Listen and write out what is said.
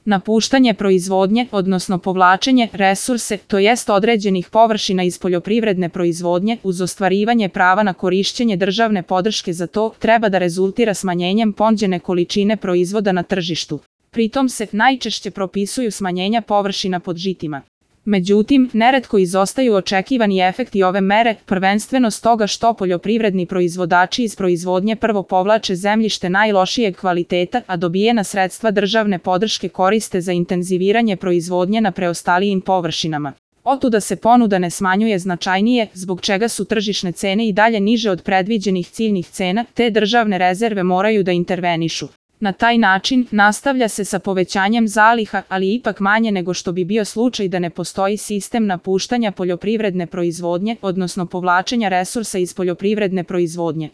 Napuštanje proizvodnje, odnosno povlačenje resurse, to jest određenih površina iz poljoprivredne proizvodnje, uz ostvarivanje prava na korišćenje državne podrške za to, treba da rezultira smanjenjem ponuđene količine proizvoda na tržištu. Pritom se najčešće propisuju smanjenja površina pod žitima. Međutim, neretko izostaju očekivani efekti ove mere, prvenstveno stoga što poljoprivredni proizvođači iz proizvodnje prvo povlače zemljište najlošijeg kvaliteta, a dobijena sredstva državne podrške koriste za intenziviranje proizvodnje na preostalijim površinama. Otuda se ponuda ne smanjuje značajnije, zbog čega su tržišne cene i dalje niže od predviđenih ciljnih cena, te državne rezerve moraju da intervenišu. Na taj način, nastavlja se sa povećanjem zaliha, ali ipak manje nego što bi bio slučaj da ne postoji sistem napuštanja poljoprivredne proizvodnje, odnosno povlačenja resursa iz poljoprivredne proizvodnje.